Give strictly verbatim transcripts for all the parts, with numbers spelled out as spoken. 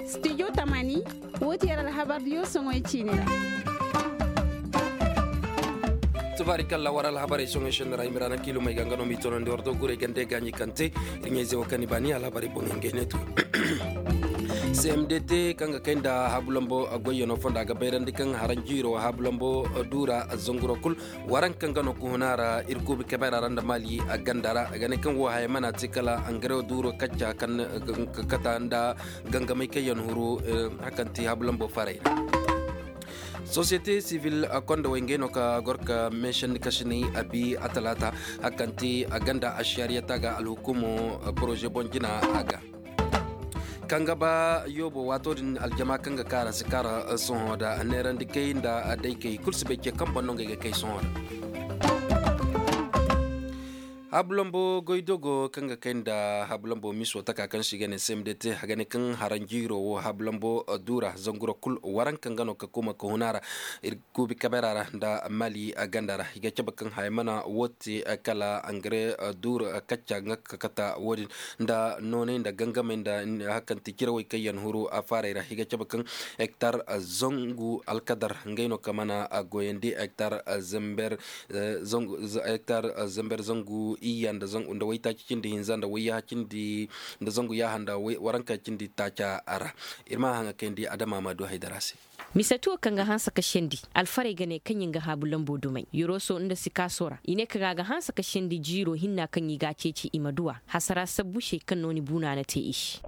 Studio tamani, wo ti yer alhabar diyo soŋoy ciini ra. Tubaari kalla war alhabarey soŋoy senni ra i ma ra na kiilumey ga nga no m'i toonandi war do gurey gande gaaɲi kaŋ te. Ir ɲayze wo kaŋ ni baani alhabarey boŋ ngey ne to. Cmdt kaŋ ga kay nda haabulambo goyyano fonda ga bayrandi kaŋ haranjiiro haabulambo duura zanguro kul. Waranka nga no ka huna ra ir kuubi kebera ra nda maali ganda ra a ga ne kaŋ wo haya mana te kala angarew duuro kacca kaŋ ga kata nda gangamay kaŋ yaŋ huru. Hakanti haabulambo farey ra. Sosiyete sivil kondowey ngey no ka gor ka meesandi kasinay a bi a talaata. Hakanti a ganda ašariyata ga alhukumo poroze boŋ jina a ga. Kaŋ ga ba yoobo waato din aljama kaŋ ga kaara si kaara sohõ da neerandi kay nda daykey kul si bay ce kaŋ boŋ no ngey ga kay sohõ da. Haabulambo goydogo kaŋ ga kay nda haabulambo miso taka kaŋ se i ga ne cmdt a ga ne kaŋ haranjiiro wo haabulambo duura zanguro kul waranka nga no ka kuma ka huna ra. Kuubi kabera ra nda mali ganda ra i ga cabe kaŋ haya mana wo te kala angare duur kacca nga ka kata wo-din nda noonay nda gangamey nda hakanti cirawey kaŋ yaŋ huru afaarey ra i ga cabe kaŋ hektar zangu alkadar ngey no ka mana goyandi hektar zember hektar zember zangu iyya nda waytaaci cindi hinza nda wayyaha cindi nda zangu yaaha nda waranka cindi taaca ra. Ir ma haŋa kayandi adama ma du haydara se. Mise tuwo kaŋ ga hanse ka sendi alfarey ga ne kaŋ ɲin ga haabu lambo dumey yoroso nda sikaaso ra i ne ka ga a ga hanse ka sendi jiiro hinna kaŋ i ga a ceeci i ma duw'a hasara sabbu se kaŋ no ni buuna na te i se.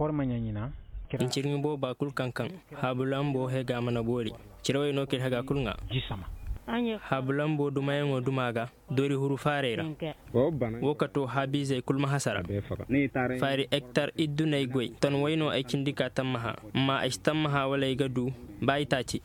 Ncirmi booba kul kaŋ kaŋ haabu lambo hega mana boori. Cirawey no k'ir hega kul ŋaa. Haabu lambo dumayaŋo duma ga doori huru faarey ra. Wo ka to haabiizey kul ma hasara. Faari ektar idduney goy ton way no ay cindi ka tammaha. Amma ay si tammaha wala ay ga du ba ay taaci.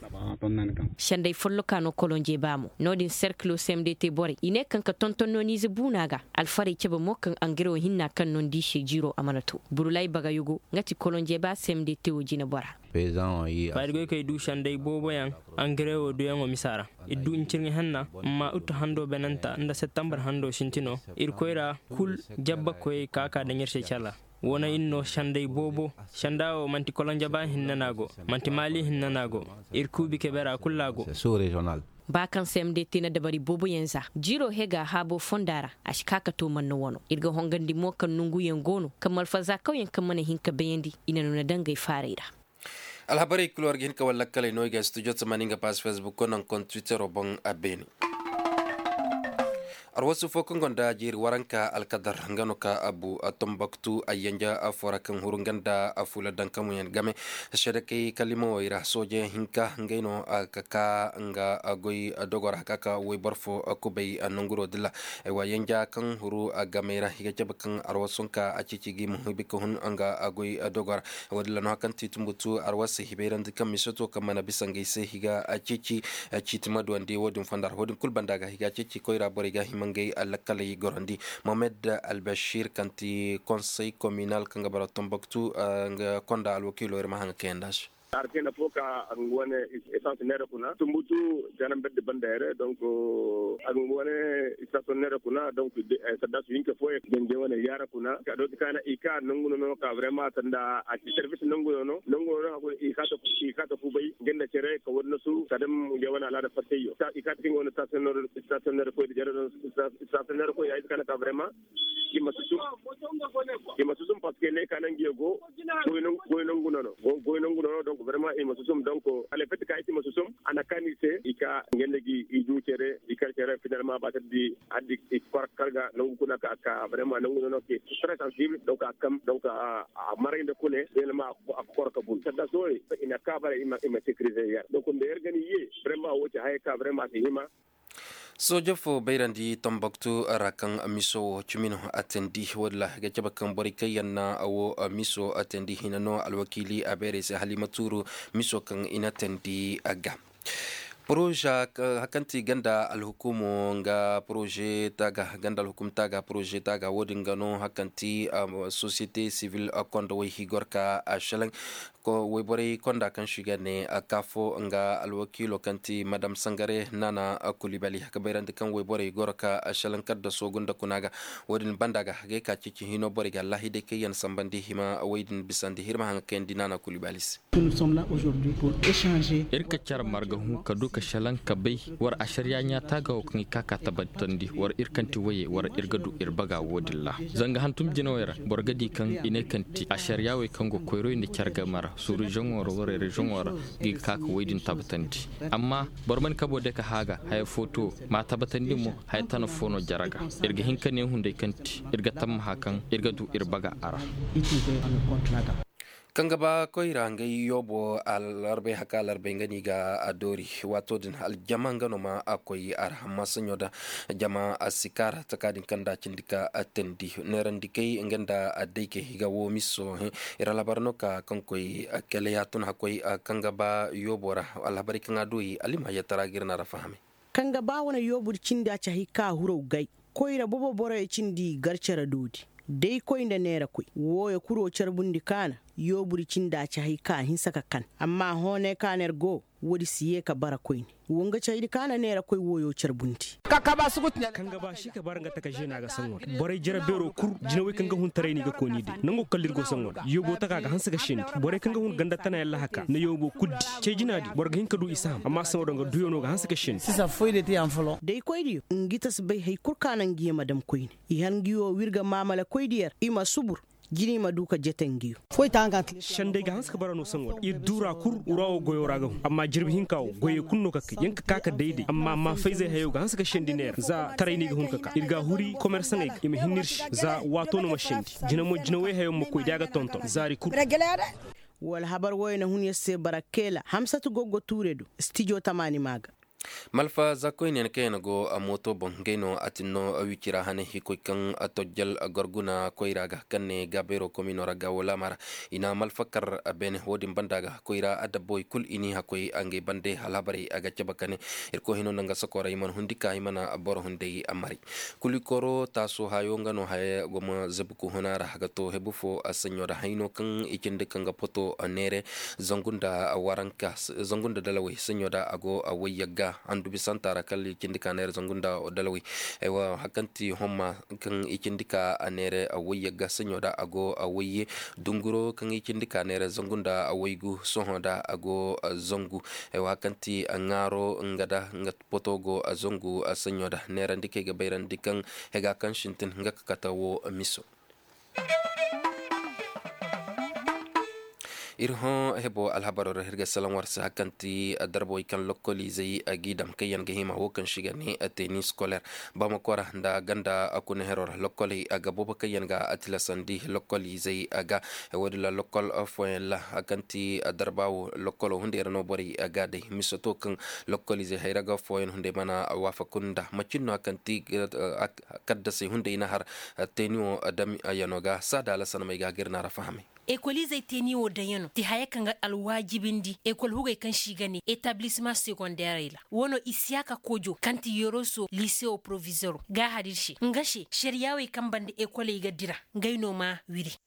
Senday folloka no kolonje ba mo no-din serkilo cmdt borey i ne kaŋ ka tonton no niize buuna ga. Alfarey cebe mo kaŋ angare wo hinna kaŋ no ni di se jiiro a mana to burulay bagayugo nga ti kolonje ba cmdt wo jine bora. Faari goy kay du senday booboyaŋ angare wo duyaŋo misa ra. Ir du ncirŋi henna amma utu hando benanta nda settembar hando sintino ir koyra kul jabba koyey ka ka daŋ ir se cala. Wo na ir no senday boobo senda wo man'ti kolonjaba hinne no a go. Man'ti maali hinne no a go. Ir kuubi kebera kul no a go. Ba kaŋ cmdt na dabari booboyaŋ za jiiro hega haabo fonda ra. A si ka ka to manna wano ir ga hongandi mo kaŋ nonguyaŋ go no kaŋ malfazakawyaŋ kaŋ mana hin ka bayandi i na nuna dangay faarey ra. Alhabarey kul war ga hin ka wallakkaley no i ga studio tamani nga pass facebook ko naŋ kon twittero boŋ a beene. Arwasu fo kaŋ gonda jeeri waranka alkadar nga no ka abu a tombaktu a yanja a fora kaŋ huru nga nda a fula dankamuyaŋ game. Sedekey kalimawey ra sooje hinka ngey no ka ka nga goy dogora ka ka woy boro fo kubay nonguro dilla. Ay wa yanja kaŋ huru a gamey ra i ga cabe kaŋ arwasu hinka a cici ga i ma hibi ka hun nga goy dogora. Wo- din ra no haŋ kaŋ ti tumbutu arwasey hibayrandi kaŋ misoto kaŋ mana bisa ngey se i ga ceeci. Ciiti ma duwandi wo- din fonda ra wo- din kulu banda ga i ga ceeci koyra borey ga hima ngey lakkaley gorandi. Mohamed albashir kaŋ ti konsey kominal kaŋ ga bara tombaktu nga konda alwakiilo ir ma haŋ ga kayandi a se. Artena fo ka a ga nga wane esans neera kuna tumbutu janamberdi banda yare donk a ga nga wane istasion neera kuna donk saddasu hinka fooyaŋ ga nga wane yaara kuna ka dooti kaana i ka nangu no no ka vraiment sanda a ci service nangu no no nangu no no hakuri i ka ta kubay nga nda cere ka wani nasu ka dam nga wane alaada fattayyo i ka ta kinga wane stationnaire koy da jere stationnaire koy ya iska na ka vraiment i ma susum i ma susum parce que ne ka nangu ya go goy nangu no no goy nangu no no donc vraiment i ma susum donc a le fait ka i ma susum a na kaani se i ka nga nda gi i du cere i kar cere finalement ba taddi addi i kor karga nangu kuna ka ka vraiment nangu no no ke très sensible donc a kam donc a maray nda kune finalement a kor ka bun sadda sooye i na ka bara i ma sécuriser yar donc nda yar gani ye vraiment wo ci haya ka vraiment a si hima. Sooje fo bayrandi tombaktu ra kaŋ miso wo cimi no a teendi walla ga cabe kaŋ borey kaŋ yaŋ na wo miso a teendi hina no alwakiili a beerey se hala i ma tuuru miso kaŋ i na teendi a ga. Poroza hakanti ganda alhukumo nga poroze taga ganda alhukum taga poroze taga wo- din ga no hakanti sosiyete sivil, kondo way higor ka a shalaŋ. Wayborey konda kaŋ si ga ne kaafo nga alwakiilo kaŋ ti madam sangare naana kulibali ga bayrandi kaŋ wayborey goro ka shalaŋ kaddaso gunda kuna ga. Wo- din banda ga hagay ka ceeci hino borey ga allahidey kaŋ yaŋ sambandi hima way din bisandi hirma haŋ ga kayandi naana kulibali se. Ir ka care marga hũ ka du ka shalaŋ ka bay war ašariya ɲaata ga wo kaŋ i ka ka tabbatandi war ir kaŋ ti waye war ir ga du ir baga wo- din ra. Zanga hantum jinawey ra boro ga di kaŋ i ne kaŋ ti ašariya wey kaŋ go koyroy nda care game ra suuru izoŋo ra warey ra izoŋo ra, ga i ga ka ka way din tabbatandi. Amma boro mana kabo de ka haaga haya footo ma tabbatandi mo haya tana foo no jare ga. Ir ga hin ka ne hunday kaŋ ti ir ga tammaha kaŋ ir ga du ir baga a ra. Kaŋ ga ba koyra ngey yoobo alarbay haka alarbay nga no i ga a doori. Waato din aljama nga no ma a koy a ra amma saɲo da jama a si kaara taka din kaŋ nda a cindi ka teendi neerandi kay nga nda a day kay i ga woo miso. Ir alhabar no ka kaŋ koy kele ya tun hakkoy kaŋ ga ba yoobo ra. Alhabarey kaŋ a dooyi alima yattara ga ir na ra fahamay. Kaŋ ga ba wane yoobur cindi a ci hay ka huraw gay. Koyra bobo boroyo cindi gar cere doodi. Day koy nda neera koy wooyo kuro carbundi kaana. Yoobur cindi a ci hay ka hinsa ka kan amma hoonay ka neer go. Woodi si yee ka bara koyne. Wo nga caydi kaana neera koy wooyo carbundi. Kaŋ ga ba si ka bara nga taka žena ga saŋo da borey jere beero kul jinawey kaŋ ga hun taray no i ga kooni day nango kala ir go saŋo da yoobo taka ga hanse ga sendi. Borey kaŋ ga hun ganda tana yalla haka na yoobo kul di cey jina di boro ga hin ka du i si ham amma saŋo da nga duyo no ga hanse ga sendi. Day koy diyo ngi ta si bay hay kul ka naŋ ngi ye ma dam koyne. I har ngi wo wir ga maamala koy diyo ra i ma subur. Jina i ma du ka jete ngi wo. Senday ga hanse ka bara no saŋo da ir duura kul wura wo goyo ra ga hun amma jirbi hinka wo goyey kul no ka kay yer ka ka ka dayday amma maafayzey hayo ga hanse ka sendi neera za taray no i ga hun ka ka ir ga a huri komersaŋey ga i ma hinni ir se za waato no ma sendi. Jina mo jinawey hayo ma koy da a ga tonton zaari kul. Wala habar wooyo na hun yer se bara keela hamsatu goggo tuure do stijo tamaani maa ga. Malfa za koyne yaŋ kaŋ yaŋ go mooto boŋ ngey no a tin no wicira hane hikoy kaŋ tojjal gorguna koyra ga kaŋ ne gaabayro komino ra ga wala mara. I na malfa kar beene wo- din banda ga koyra adabbawey kul i n'i hakkoy ngey bande alhabarey a ga cabe ka ne. Irkoy hino nda nga sokoray mana hundi ka i mana boro hunday maray. Kulikoro taaso hayo nga no haya goma zabuku huna ra ga to hebu fo a saɲo da hayno kaŋ i cindi kaŋ ga poto neere zangu nda waranka zangu nda dalawey saɲo da a go a wayyagga. Andubi santa ra kala i cindi ka neere zangu nda dalawey. Aywa hari kaŋ ti homma kaŋ i cindi ka a neere a wayyagga saɲo da a go a wayye. Dunguro kaŋ i cindi ka neere zangu nda a waygu sohõ da a go a zangu. Aywa hari kaŋ ti a ŋaaro nga da nga poto go a zangu a saɲo da neerandi kaŋ ay ga bayrandi kaŋ hega kaŋ sintin nga ka kate wo miso. Ir hõ hebo alhabaro ra ir ga salaŋ war se hari kaŋ ti darbawey kaŋ lokkoliizey g'i dam kaŋ yaŋ ga hima wo kaŋ se i ga ne tenis scolaire. Bamakora nda ganda kuna hero ra lokkoley ga boobo kaŋ yaŋ ga tilasandi lokkoliizey ga. Woodin ra lokkol fooyaŋ ra hari kaŋ ti darba wo lokkolo hunday ra no borey ga day misato kaŋ lokkoliizey hayra ga fooyaŋ hunday mana waafaku nda macin no hari kaŋ ti kaddasey hunday na har teeni wo dam yano ga saada alasanamey ga ga ir na ra fahamay. Ekolizey teeni wo daŋyano ti haya kaŋ ga alwaajibindi ekol hugey kaŋ se i ga ne etablisma segondeerey ra. Wano isiyaka kojo kaŋ ti yoroso lisewo provizoro ga a har ir se nga se šariyaawey kaŋ banda ekoley ga dira. Ngey no ma wiri.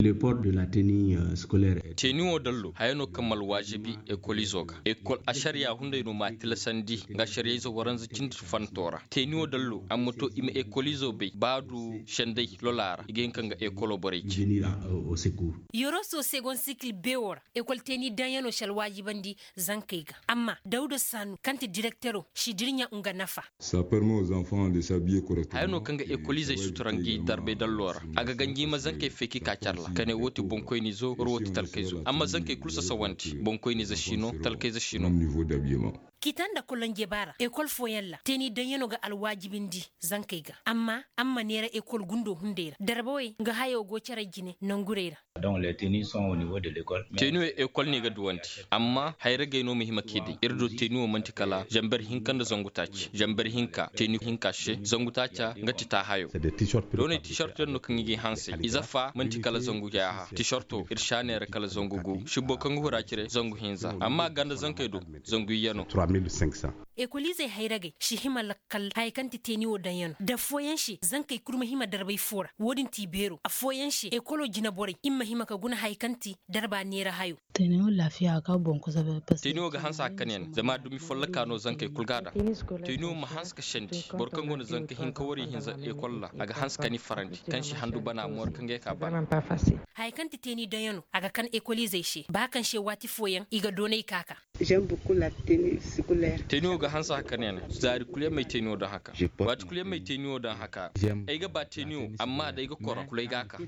Teeni wo dallo haya no kaŋ ma alwaajibi ekolizo ga ekol ašariya hunday no ma a tilasandi nga ašariyayze waranza cindi fanto ra. Teeni wo dallo a ma to i ma ekolizo bay ba a du senday lola ra i ga hin ka nga ekolo borey ce. Yoroso segon sikil beewo ra ekol teeni daŋyano si alwaajibandi zankey ga. Amma dawda saanu kaŋ ti direktero si dirɲa nga nafa. Haya no kaŋ ga ekolizey sutura ngi darbay dallo ra a ga ganji i ma zankey feki ka care ra ka ne wo ti boŋkoynizo war wo ti talkayzo amma zankey kulu sasawandi boŋkoynize si no talkayze si no. Kita nda kolonje ba ra ekol fooyaŋ ra teeni daŋyano ga alwaajibindi zankey ga amma a ma neera ekol gundo hunday ra darbawey nga hayo go care jine nangurey ra. Teeni wo ekol no i ga duwandi amma hayragey no ma hima k'i day ir do teeni wo man'ti kala zamber hinka nda zangu taaci zamber hinka teeni hinka se zangu taaca nga ti taahayo. Doonay tiisarto yaŋ no kaŋ i g'i hansay ize fa man'ti kala zangu yaaha tiisarto ir si a neera kala zangu gu sibbo kaŋ ga hura cire zangu hinza amma a ganda zankey do zangu iyyano. Ekoliizey hayragey si hima lakkal haya kaŋ ti teeni wo daŋ yaŋ no da affooyaŋ se zankey kul ma hima darbay foo ra. Wo-din ti beero affooyaŋ se ekolo jineborey i ma hima ka guna haya kaŋ ti darba neera hayo. Teeni wo ga hanse hakkan yaŋ zama dumi folloka no zankey kul ga a daŋ. Teeni wo ma hanse ka sendi boro kaŋ go no zanka hinka wari hinza ekol ra a ga hanse ka ni farandi kaŋ si handu bana moori kaŋ ga ay ka bana. Haya kaŋ ti teeni daŋ yaŋ no a ga kan ekoliizey se ba kaŋ se waati fooyaŋ i ga doonay ka ka. Teeniyo ga hanse haka ne na zaari kul yaŋ may teeniyo daŋ haka. Waati kul yaŋ may teeniyo daŋ haka. Ay ga ba teeniyo amma da ay ga koro kul ay ga a ka.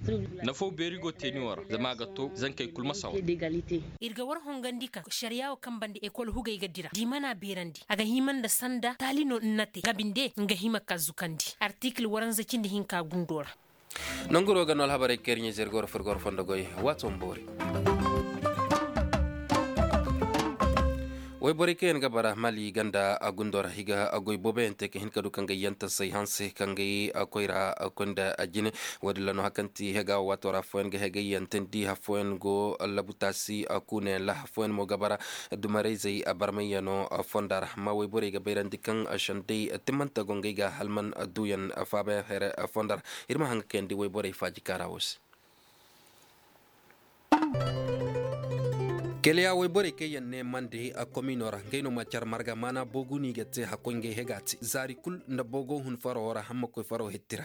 Nafaw beeri go teeniyo ra zama a ga to zankey kul ma sawa. Ir ga war hongandi kaŋ sariya wo kaŋ banda ekol hugey ga dira da i mana beerandi a ga hima nda sanda taali no nna te nga binde nga hima ka zukandi artikil waranza cindi hinka gundo ra. Nanguro ga no alhabarey kayri ɲa zirgo ra furgo ra fondo goy. Waato ma boori. Wayborey kaŋ yaŋ ga bara mali ganda a gundo ra i ga goy booboyaŋ te ka hin ka du kaŋ ga yaŋ tasay hanse kaŋ ga koy ra koy nda jine. Wo- din ra no hari kaŋ ti hega waato ra affooyaŋ ga hegay yaŋ tandi affooyaŋ go labu taasi kuunayaŋ ra affooyaŋ mo ga bara dumarayzey barmayyaŋo fonda ra amma wayborey ga bayrandi kaŋ sendey timmante go ngey ga halman duuyaŋ faabayaŋ here fonda ra. Ir ma haŋ ga kayandi wayborey faaji kaara wo se. Keleya wayborey kaŋ yaŋ ne mande komiino ra ngey no ma care marga maana boogu no i ga te hakkoy ngey hega te zaari kul nda boogo hun faro ra hamma koy faro hitti ra.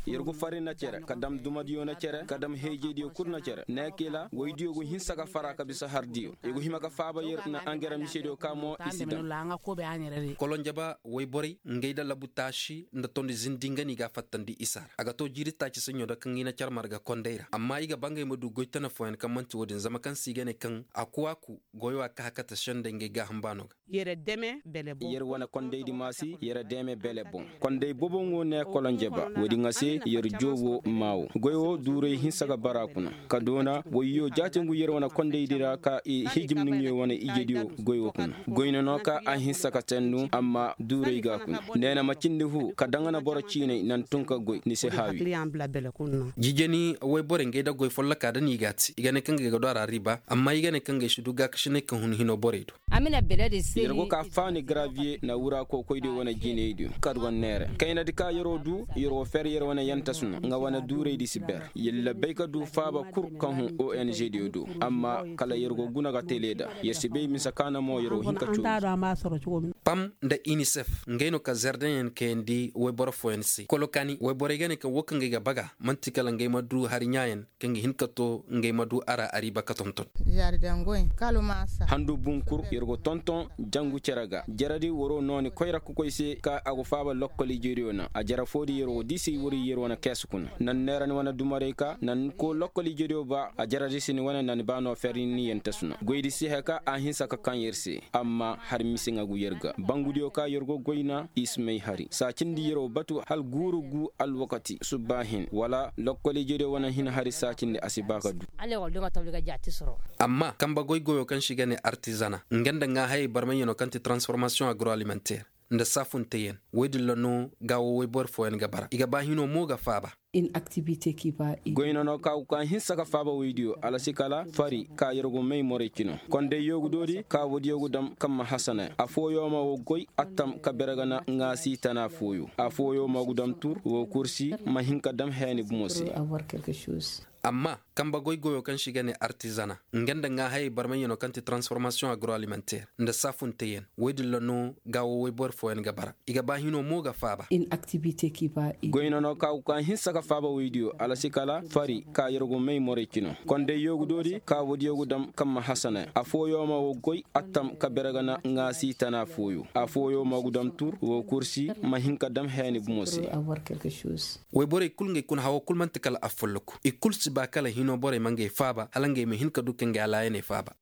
Yer go farri na care ka dam dumadiyo na care ka dam heejediyo kul na care ne kila woydiyo go hinsa ka fara ka bisa hardiyo i go hima ka faaba yer na angera misediyo ka mo i si daŋ. Kolonjaba woyborey ngey nda labu taasi nda tondi zindi nga no i ga a fattandi isa ra a ga to jiiri taaci saɲɲo nda kaŋ i na care marga kondey ra amma i ga ba ngey ma du goy tana fooyaŋ kaŋ man'ti wo-din zama kaŋ se i ga ne kaŋ a ku a ku goyo a ka hakata sendey ngey gaaham baano ga. Yer wane kondaydi maasi yer deeme bele boŋ. Konday boboŋo ne kolonjeba woodiŋ a se yer joobo maa wo goy wo duuray hinsa ga bara kuna ka doona woyyo jaatingu yer wane kondaydi ra ka i hijimniŋyo wane ijediyo goy wo kuna goy no no ka a hinsa ka tennu amma duuray ga kuna neena ma cindi fu ka daŋ a na boro ciinay naŋ tun ka goy ni se haawi. Jijeni woyborey ngey nda goy folloka da no i ga a te i ga ne kaŋ gay ga du a ra riba amma i ga ne kaŋ gay si du gaakasinay kaŋ hun hino borey do. Yer go ka faani graviye na wura kokoydiyo wane jinaydiyo kar wane neere kaynadi ka yer'o du yer'o fer yer wane yantasu no nga wane duuraydi si ber. Yer labbay ka du faaba kul kaŋ hun ongdiyo do amma kala yer go guna ga tele nda yer si bay mise ka na mo yer'o hin ka cooji. Pam nda inisef ngey no ka zerdeŋyaŋ kayandi woyboro fooyaŋ se kolokaani woyborey ga ne kaŋ wo kaŋ gay ga baga man'ti kala ngey ma du hari ɲaayaŋ kaŋ ga hin ka to ngey ma du a ra ariiba ka tonton. Handu bunkur yer go tonton jangu cere ga jaradi waro nooni koyra kokoy se ka a go faaba lokkol ijediyo na a jara foodi yer go diisay wari yer wane kees kuna naŋ neerani wane dumarey ka naŋ ko lokkol ijediyo ba a jaradi si ni wane naŋ ba no ferri ni yente suna goydi si heka a hinsa ka kaŋ yer se amma har mise ŋa gu yer ga bangudiyo ka yer go goy na i si may hari saacindi yer wo batu hala guuru gu alwakati subba hin wala lokkol ijediyo wane hin hari saacindi a si ba ka du. Amma kamba goy goyo kaŋ se i ga ne artizana nga nda ŋaahayey barmayyaŋo kaŋ ti transformasiyoŋ agroalimenter nda saafunteyaŋ woy din ra no gaawo woyboro fooyaŋ ga bara i ga ba hino mo ga faaba. Goy no no ka go ka hinsa ka faaba woydiyo alasi kala fari ka yer go may morey cino konday yoogudoodi ka woodiyo ga dam kaŋ ma hasana afooyo ma wo goy attam ka bere ga na ŋaasi tana fooyo afooyo ma ga dam tur wo kursi ma hin ka dam heeni bumo se. Amma kamba goy goyo kaŋ se i ga ne artizana nga nda ŋaahayey barmayyaŋo kaŋ ti transformasiyoŋ agroalimenter nda saafunteyaŋ woy din ra no gaawo woyboro fooyaŋ ga bara i ga ba hino mo ga faaba. Goy no no ka go ka hinsa ka faaba woydiyo alasi kala fari ka yer go may morey cino konday yoogudoodi ka woodiyo ga dam kaŋ ma hasana afooyo ma wo goy attam ka bere ga na ŋaasi tana fooyo afooyo ma ga dam tur wo kursi ma hin ka dam heeni bumo se. Woyborey kul ngey kuna hawo kul man'ti kala afolloku i kul si ba kala hino borey ma ngey faaba hala ngey ma hin ka du ka ngey alaayaney faaba.